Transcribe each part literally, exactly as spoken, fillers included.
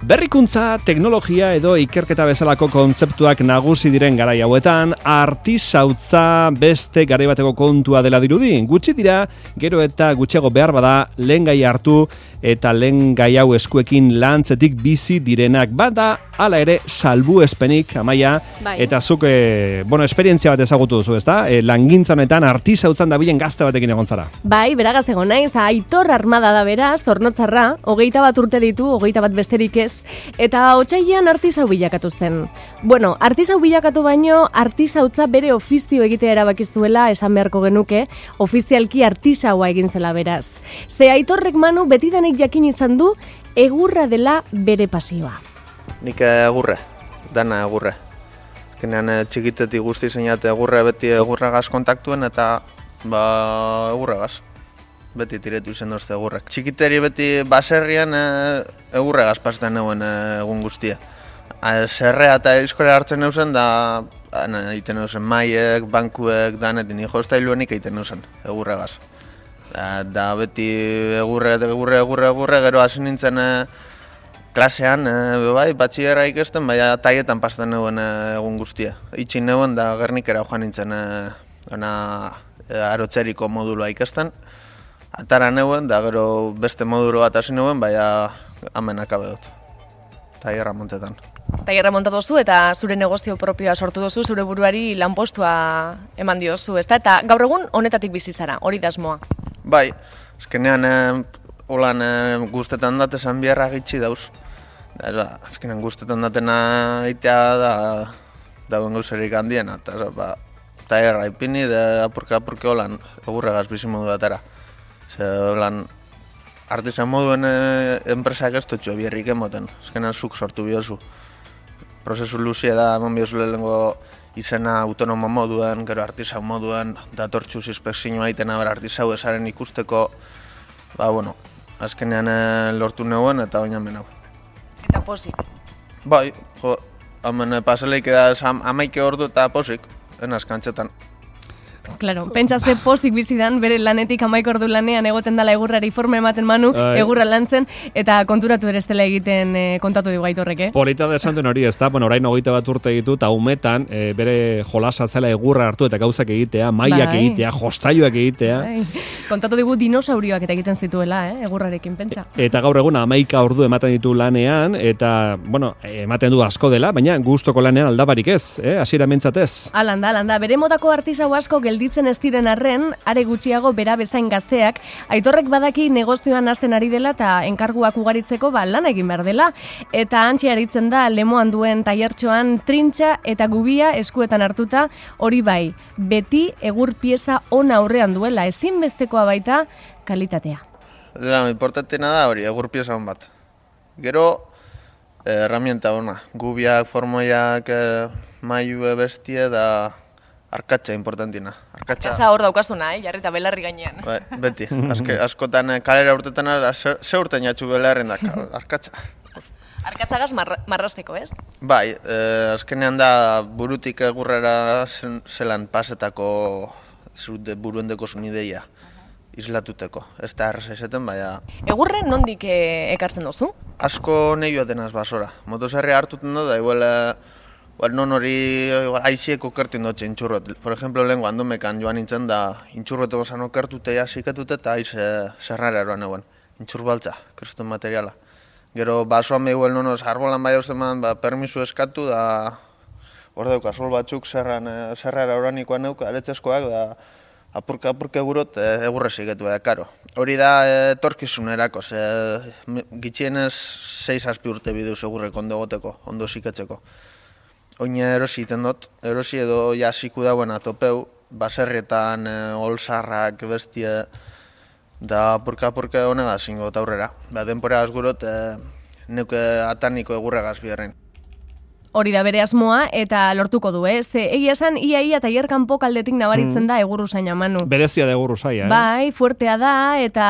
Berrikuntza, teknologia edo ikerketa bezalako kontzeptuak nagusi diren garai hauetan, artisautza beste garai bateko kontua dela dirudi. Gutxi dira, gero eta gutxiago behar bada, lehen gai hartu eta lehen gai hau eskuekin lantzetik bizi direnak. Bada, hala ere, salbuespenik, Amaia, bai. Eta zuk, e, bueno, esperientzia bat ezagutu duzu, ezta? E, langintza honetan artisautzan dabilen gazte batekin egon zara. Bai, beragaz egon naiz, Aitor Armada da beraz, Zornotzarra, hogeita bat urte ditu, hogeita bat besterik ez, eta otsailean artisau bilakatu zen. Bueno, artisau bilakatu baino, artisautza bere ofizio egitea erabakizuela esan beharko genuke, ofizialki artisaua egin zela beraz. Ze Aitorrek Manu betidanik jakin izan du, egurra dela bere pasioa. Nik egurre, dana egurre. Azkenean txikitetik guzti zeinat egurre beti egurragaz kontaktuen eta ba egurragaz. Beti tiretu izen dozte egurrak. Txikiteri beti baserrian e, egurregaz pasetan egon egun guztia. E, Zerrea eta eizkorea hartzen eusen da egiten eusen maiek, bankuek, danetin jostailuenik egiten eusen egurregaz. Da, da beti egurre, egurre, egurre, egurre, gero hasi nintzen e, klasean, e, bai, batxillerra ikesten, baina taietan pasetan egon e, egun guztia. Itxin egon da Gernikera joan nintzen e, ona, e, arotzeriko modulua ikesten. Atara neuen, da gero beste modulo bat hasi neuen, baina hemen akabe dut. Taierra montetan. Taierra montatu duzu eta zure negozio propioa sortu duzu, zure buruari lanpostua eman diozu, ezta? Eta gaur egun honetatik bizi zara, hori da asmoa. Bai, azkenean eh, holan eh, guztetan datesan biharra gitxi dauz. Da, ba, azkenean guztetan datena itea da dauen gauzerik handiena. Eta ba, taierra ipini, da apurke-apurke holan egurregaz bizi modu datera. Ze lan artisan moduen e, enpresak ez dutxo bierrik emoten, ezkenan zuk sortu biozu. Prozesu luzia da, eman biozu lehenko izena autonomo moduen, gero artisan moduen, datortxuz inspekzioa egiten aber artisau esaren ikusteko, ba, bueno, azkenean e, lortu neuen eta oina menau. Eta posik? Bai, jo, hemen paseleik edaz amaike ordu eta posik, enaz kantxetan. Claro, pentsa ze pozik bizidan, bere lanetik hamaik ordu lanean egoten dala egurrari forma ematen Manu, Ai. egurra lantzen, eta konturatu ere ez dela egiten e, kontatu dugu Aitorrek, eh? Polita da esan duen hori, ez da, bueno, orain hogeita bat urte ditu, eta umetan e, bere jolasa zela egurra hartu eta gauzak egitea, mailak Bai. egitea, jostailuak egitea. Bai. Kontatu dugu dinosaurioak eta egiten zituela, eh? Egurrarekin, pentsa. Eta gaur egun hamaika ordu ematen ditu lanean, eta, bueno, ematen du asko dela, baina gustoko lanean aldabarik ez, eh? Hasiera mentzatez. Alanda, alanda, bere modako artisau asko gelditzen ez diren arren, are gutxiago bera bezain gazteak, Aitorrek badaki negozioan hasten ari dela eta enkarguak ugaritzeko ba lan egin behar dela. Eta hantxe aritzen da Lemoan duen tailertxoan trintxa eta gubia eskuetan hartuta, hori bai, beti egur pieza on aurrean duela, ezinbestekoa baita kalitatea. Da, importantena da hori, egur pieza hon bat. Gero, eh, herramienta ona, gubiak, formoiak, eh, mailu bestie da arkatxa importantina. Arkatxa, Arkatxa hor daukazuna, eh? Jarrita belarri gainean. bai, beti, Azke, askotan eh, kalera urtetan ze, ze urten jatxu belarren da, arkatxa. Arkatzagaz marra, marrasteko, ez? Bai, eh, azkenean da burutik egurrera zen, zelan pasetako zure buruendeko zun ideia islatuteko. Ez da erreza izaten, baina Egurre nondik e, ekartzen duzu? asko nahi joaten az basora. Motosarria hartuten dut, da igual, eh, igual non hori igual, aizieko kertuen dut intxurrot. Por ejemplo, lehen guandomekan joan nintzen da intxurroteko zan okertute jasiketute eta aiz eh, zerrara eroan egon. Intxurbaltza, kristen materiala. Gero basoan behiguel nonoz arbolan bai hausteman, ba, permisu eskatu da hor dauka sol batzuk zerran, eh, zerrara oranikoan neuka, aretzeskoak da apurka-apurka gurot e, egurre zigetu da, karo. Hori da e, torkizunerako, ze gitxienez sei zazpi urte biduz egurrek ondo goteko, ondo ziketzeko. Oine erosi iten dut, erosi edo jasiku dauen atopeu, baserrietan, e, olsarrak, bestie, da apurka-apurka honegaz ingo aurrera. Ba, denpora azgurot, e, neuke ataniko egurregaz biherren. Hori da bere asmoa eta lortuko du, eh? Ze egia esan ia ia tailer kanpo kaldetik nabaritzen da Egurruzaina, Manu. Berezia da Egurruzaia, eh? Bai, fuertea da eta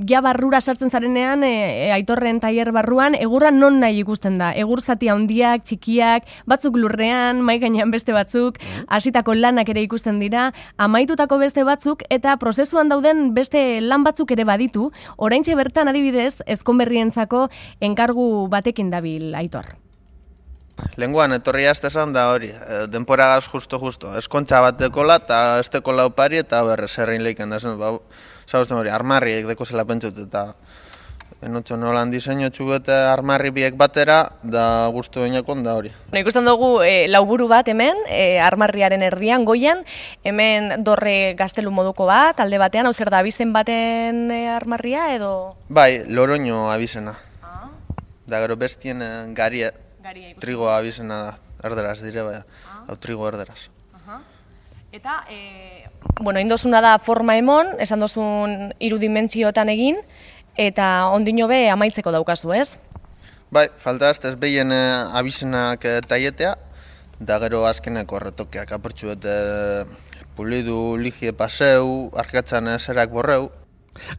ja barrura sartzen zarenean e, e, Aitorren tailer barruan egurra non nahi ikusten da. Egur zati handiak, txikiak, batzuk lurrean, mai gainean beste batzuk, hasitako lanak ere ikusten dira, amaitutako beste batzuk eta prozesuan dauden beste lan batzuk ere baditu. Oraintxe bertan adibidez, ezkonberrientzako enkargu batekin dabil Aitor. Lenguan etorri aztezan da hori, e, denporagaz justo-justo. Eskontxa bat dekola eta ez dekola opari eta berrez herrein leiken da zen. Ba, zauzten hori, armarriek deko zela pentsut eta enotxo nolan diseño txubete armarri biek batera da guztu inakon da hori. No, ikusten dugu e, lauburu bat hemen, e, armarriaren erdian, goian, hemen dorre gaztelu moduko bat, alde batean, hau zer da, abizen baten e, armarria edo? Bai, loroño abizena. Ah. Da gero bestien e, garia. Trigo abizena da, erderaz dire, bai, ah. hau trigo erderaz. Aha. Eta, e, bueno, indosuna da forma emon, esan dozun irudimentziotan egin, eta ondino be amaitzeko daukazu, ez? Bai, falta ez, ez behien e, abizenak e, taietea, da gero azkeneko retokeak apertxu eta pulidu, ligie paseu, arkatzan zerak borreu.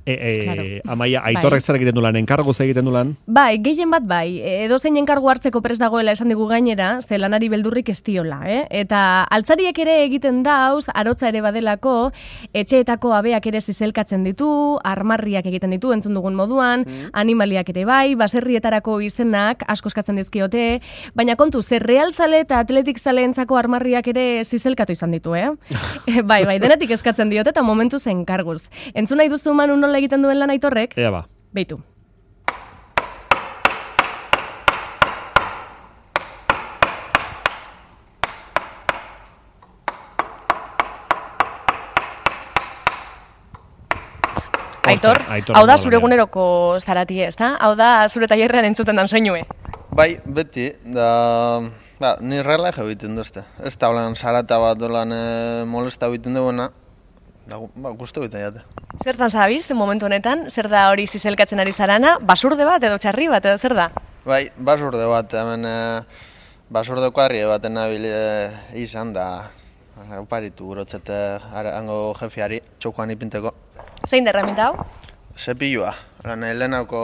E, e, claro. Amaia, Aitorrek bai. Zer egiten du lan, enkargu zer egiten du lan? Bai, gehien bat bai, edo zein enkargu hartzeko prest dagoela esan digu gainera, ze lanari beldurrik ez diola, eh? Eta altzariek ere egiten dauz, arotza ere badelako, etxeetako abeak ere zizelkatzen ditu, armarriak egiten ditu, entzun dugun moduan, mm. animaliak ere bai, baserrietarako izenak asko eskatzen dizkiote, baina kontu, ze realzale eta atletik zaleentzako armarriak ere zizelkatu izan ditu, eh? bai, bai, denetik eskatzen diote eta momentu zen karguz. Entzun nahi duzu Manu nola egiten duen lan Aitorrek? Ea ba. Beitu. Aitor, Aitor hau da zure eguneroko zaratie, ez da? Hau da zure tailerrean entzuten dan soinue. Bai, beti, da, ba, ni relaje egiten duzte. Ez da holan zarata bat dolan e, molesta egiten duena, da, ba, guztu bita jate. Zertan zabiz, momentu honetan, zer da hori zizelkatzen ari zarana, basurde bat edo txarri bat edo zer da? Bai, basurde bat, hemen e, basurde kuadri baten nabil e, izan da, oparitu gurotzete hango jefiari, txokoan ipinteko. Zein da herramienta hau? Zepilua. Lehenako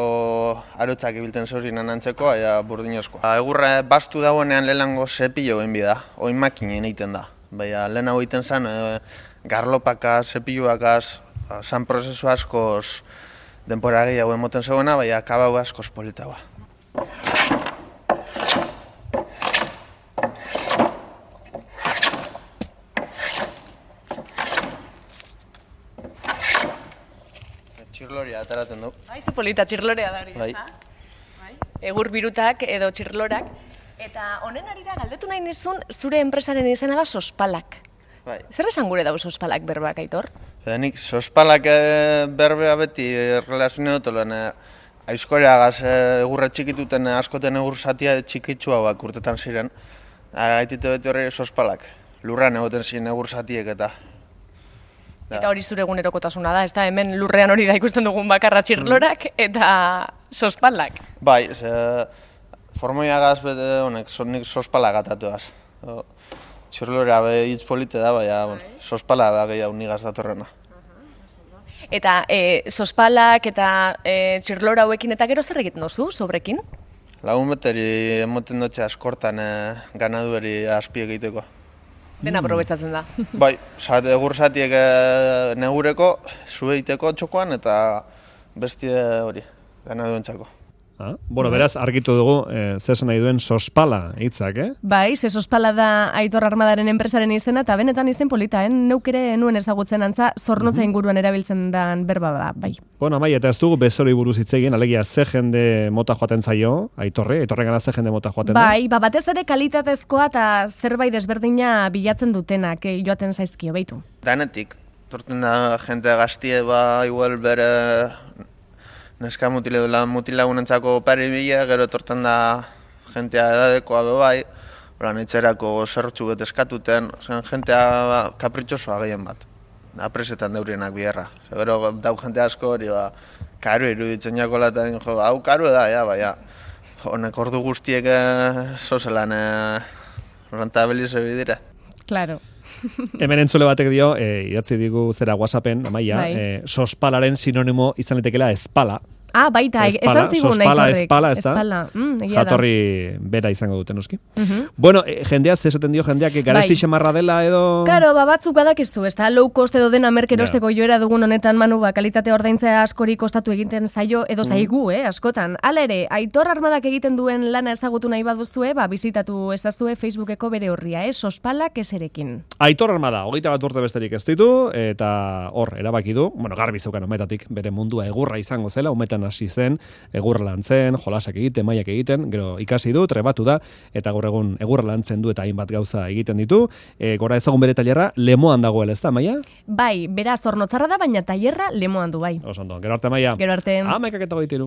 arotzak ibilten zeurin anantzeko, aia burdinozkoa. Egurra bastu dagoenean lehenango zepilo egin bida, oin makinen egiten da. Baina lehenago egiten zen, e, garlopakaz, zepiluakaz, zan prozesu askoz denpora gehiago emoten zegoena, baina kabau askoz politagoa. Txirloria ateratzen du. Bai, ze polita, txirlorea da hori, bai. Ez da? Bai. Egur birutak edo txirlorak. Eta honen arira galdetu nahi nizun, zure enpresaren izena da Sospalak. Bai. Zer esan gure dago Sospalak berbak, Aitor? Nik Sospalak e, berbea beti relazioa dut, lehen aizkoreagaz egurra txikituten askoten egur zatia txikitsua bak urtetan ziren. Ara gaitite beti horri Sospalak, lurran egoten ziren egur zatiek eta... Da. Eta hori zure egunerokotasuna da, ez da, hemen lurrean hori da ikusten dugun bakarra txirlorak eta Sospalak. Bai, ze formoiagaz bete honek, nik Sospalak atatuaz. Txirlorea be hitz polite da, baina bueno, Sospala da gehiago nigaz datorrena. Eta e, Sospalak eta e, txirlora hauekin eta gero zer egiten dozu, sobrekin? Lagun beteri emoten dutxe askortan e, ganadueri azpi egiteko. Dena aprobetsatzen da. Bai, egur zatiek negureko, zueiteko txokoan eta bestie hori, ganaduentzako. Ah, bueno, beraz, argitu dugu, eh, zesan nahi duen Sospala hitzak, eh? Bai, ze Sospala da Aitor Armadaren enpresaren izena, eta benetan izen polita, eh? Neuk ere nuen ezagutzen antza, zornotza inguruan erabiltzen den berba da, bai. Bueno, bai, eta ez dugu bezori buruz hitz egin, alegia ze jende mota joaten zaio, Aitorre, Aitorren gana ze jende mota joaten da? Bai, ba, batez ere kalitatezkoa eta zerbait desberdina bilatzen dutenak, eh, joaten zaizkio, beitu. Danetik, torten da jente gaztie, ba, igual bere... Neska mutile du lan mutilagunentzako pari bila, gero etorten da jentea edadekoa bebai, horan etxerako zertxu bet eskatuten, zen jentea kapritxosoa gehien bat, apresetan deurienak biherra. Gero dau jente asko hori, ba, karu iruditzen jako laten, jo, hau karu da, ja, baina, Honek ordu guztiek eh, zozelan eh, rentabilize bidira. Claro. Hemen entzule batek dio, e, idatzi digu zera WhatsAppen, Amaia, Bai. e, sospalaren sinonimo izan litekela espala. Ah, baita, Espala, esan zigun sospala, Aitorrek. espala, ez da? Espala, mm, egia da. Jatorri bera izango dute noski. Mhm. Bueno, e, jendeaz esaten dio jendeak e, garesti Bai. xamarra dela edo... Karo, ba, batzuk badakizu, ez da, low cost edo dena merkerosteko joera dugun honetan, Manu, ba, kalitate ordaintzea askori kostatu egiten zaio, edo zaigu, eh, askotan. Hala ere, Aitor Armadak egiten duen lana ezagutu nahi baduzue, ba, bizitatu ezazue Facebookeko bere horria, eh, sospalak eserekin. Aitor Armada, hogeita bat urte besterik ez ditu, eta hor, erabaki du, bueno, garbi zeukan umetatik, bere mundua egurra izango zela, umetan hasi zen, egurra lantzen, jolasak egiten, mailak egiten, gero ikasi du, trebatu da, eta gaur egun egurra lantzen du eta hainbat gauza egiten ditu. E, gora ezagun bere tailerra, Lemoan dagoela, ez da, Maia? Bai, beraz, Zornotzarra da, baina tailerra Lemoan du, bai. Oso ondo, gero arte, Maia. Gero arte. Hamaikak eta hogeita hiru.